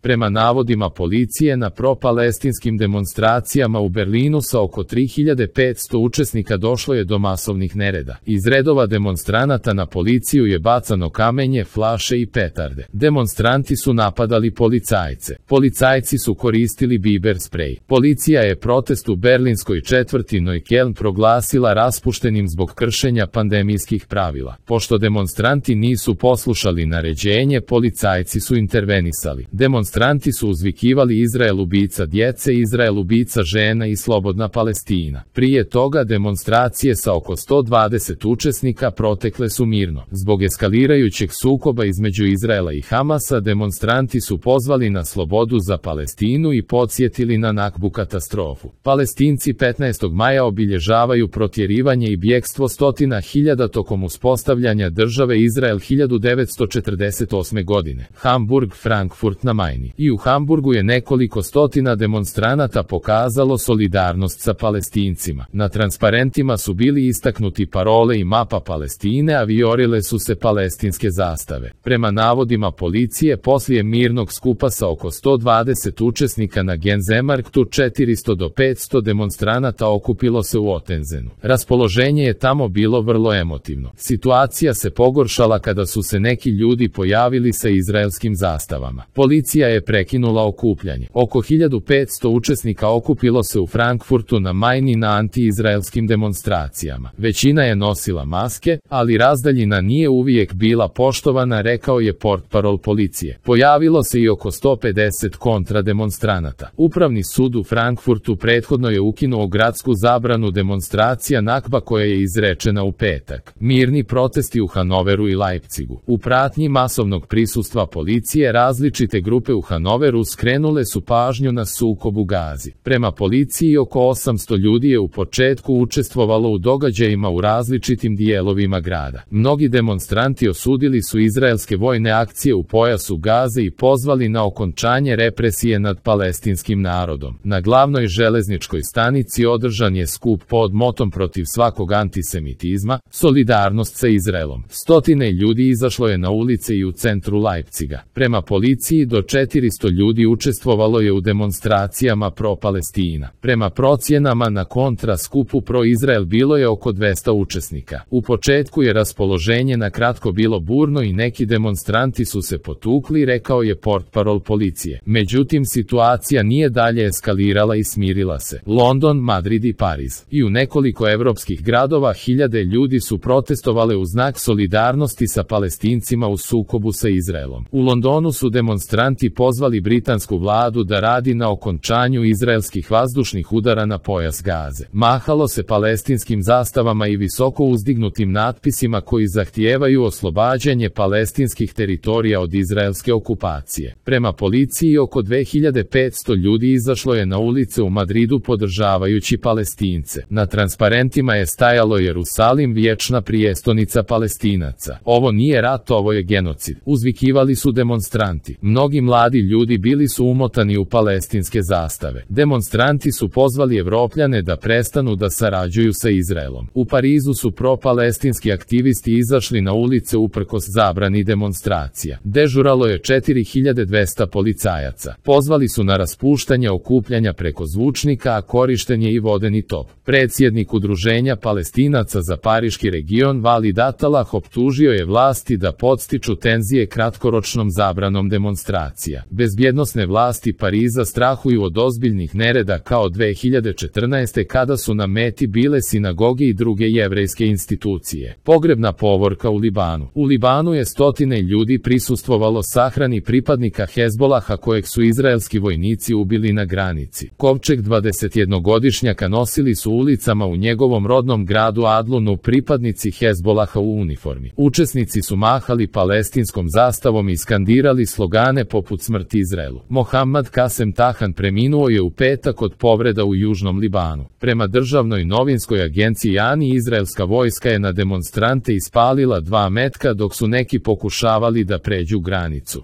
Prema navodima policije, na pro-palestinskim demonstracijama u Berlinu sa oko 3500 učesnika došlo je do masovnih nereda. Iz redova demonstranata na policiju je bacano kamenje, flaše i petarde. Demonstranti su napadali policajce. Policajci su koristili biber sprej. Policija je protest u berlinskoj četvrti Neukölln proglasila raspuštenim zbog kršenja pandemijskih pravila. Pošto demonstranti nisu poslušali naređenje, policajci su intervenisali. Demonstranti su uzvikivali Izrael ubica djece, Izrael ubica žena i slobodna Palestina. Prije toga demonstracije sa oko 120 učesnika protekle su mirno. Zbog eskalirajućeg sukoba između Izraela i Hamasa, demonstranti su pozvali na slobodu za Palestinu i podsjetili na Nakbu katastrofu. Palestinci 15. maja obilježavaju protjerivanje i bjegstvo stotina hiljada tokom uspostavljanja države Izrael 1948. godine. Hamburg, Frankfurt na Majni. I u Hamburgu je nekoliko stotina demonstranata pokazalo solidarnost sa Palestincima. Na transparentima su bili istaknuti parole i mapa Palestine, a vijorile su se palestinske zastave. Prema navodima policije, poslije mirnog skupa sa oko 120 učesnika na Genzemarktu, 400 do 500 demonstranata okupilo se u Ottensenu. Raspoloženje je tamo bilo vrlo emotivno. Situacija se pogoršala kada su se neki ljudi pojavili sa izraelskim zastavama. Policija je prekinula okupljanje. Oko 1500 učesnika okupilo se u Frankfurtu na Majni na anti-izraelskim demonstracijama. Većina je nosila maske, ali razdaljina nije uvijek bila poštovana, rekao je portparol policije. Pojavilo se i oko 150 kontrademonstranata. Upravni sud u Frankfurtu prethodno je ukinuo gradsku zabranu demonstracija Nakba koja je izrečena u petak. Mirni protesti u Hanoveru i Leipzigu. U pratnji masovnog prisustva policije različite grupe u Hanoveru skrenule su pažnju na sukob u Gazi. Prema policiji oko 800 ljudi je u početku učestvovalo u događajima u različitim dijelovima grada. Mnogi demonstranti osudili su izraelske vojne akcije u pojasu Gaze i pozvali na okončanje represije nad palestinskim narodom. Na glavnoj železničkoj stanici održan je skup pod motom protiv svakog antisemitizma, solidarnost sa Izraelom. Stotine ljudi izašlo je na ulice i u centru Leipziga. Prema policiji do 400 ljudi učestvovalo je u demonstracijama pro-Palestina. Prema procjenama na kontra skupu pro-Izrael bilo je oko 200 učesnika. U početku je raspoloženje na kratko bilo burno i neki demonstranti su se potukli, rekao je portparol policije. Međutim, situacija nije dalje eskalirala i smirila se. London, Madrid i Pariz. I u nekoliko evropskih gradova hiljade ljudi su protestovale u znak solidarnosti sa Palestincima u sukobu sa Izraelom. U Londonu su demonstranti pozvali britansku vladu da radi na okončanju izraelskih vazdušnih udara na pojas Gaze. Mahalo se palestinskim zastavama i visoko uzdignutim natpisima koji zahtijevaju oslobađanje palestinskih teritorija od izraelske okupacije. Prema policiji oko 2500 ljudi izašlo je na ulice u Madridu podržavajući Palestince. Na transparentima je stajalo Jerusalim, vječna prijestonica Palestinaca. Ovo nije rat, ovo je genocid. Uzvikivali su demonstranti. Mnogi mladi ljudi bili su umotani u palestinske zastave. Demonstranti su pozvali Evropljane da prestanu da sarađuju sa Izraelom. U Parizu su pro-palestinski aktivisti izašli na ulice uprkos zabrani demonstracija. Dežuralo je 4200 policajaca. Pozvali su na raspuštanje okupljanja preko zvučnika, a korišten je i vodeni top. Predsjednik Udruženja Palestinaca za Pariški region Walid Atalah optužio je vlasti da podstiču tenzije kratkoročnom zabranom demonstracija. Bezbjednosne vlasti Pariza strahuju od ozbiljnih nereda kao 2014. kada su na meti bile sinagoge i druge jevrejske institucije. Pogrebna povorka u Libanu. U Libanu je stotine ljudi prisustvovalo sahrani pripadnika Hezbolaha kojeg su izraelski vojnici ubili na granici. Kovčeg 21-godišnjaka nosili su ulicama u njegovom rodnom gradu Adlunu pripadnici Hezbolaha u uniformi. Učesnici su mahali palestinskom zastavom i skandirali slogane poput smrt Izraelu. Mohammad Kasem Tahan preminuo je u petak od povreda u Južnom Libanu. Prema državnoj novinskoj agenciji ANI, izraelska vojska je na demonstrante ispalila 2 metka dok su neki pokušavali da pređu granicu.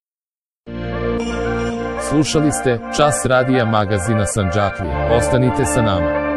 Slušali ste Čas radija magazina Sandžaklija. Ostanite sa nama.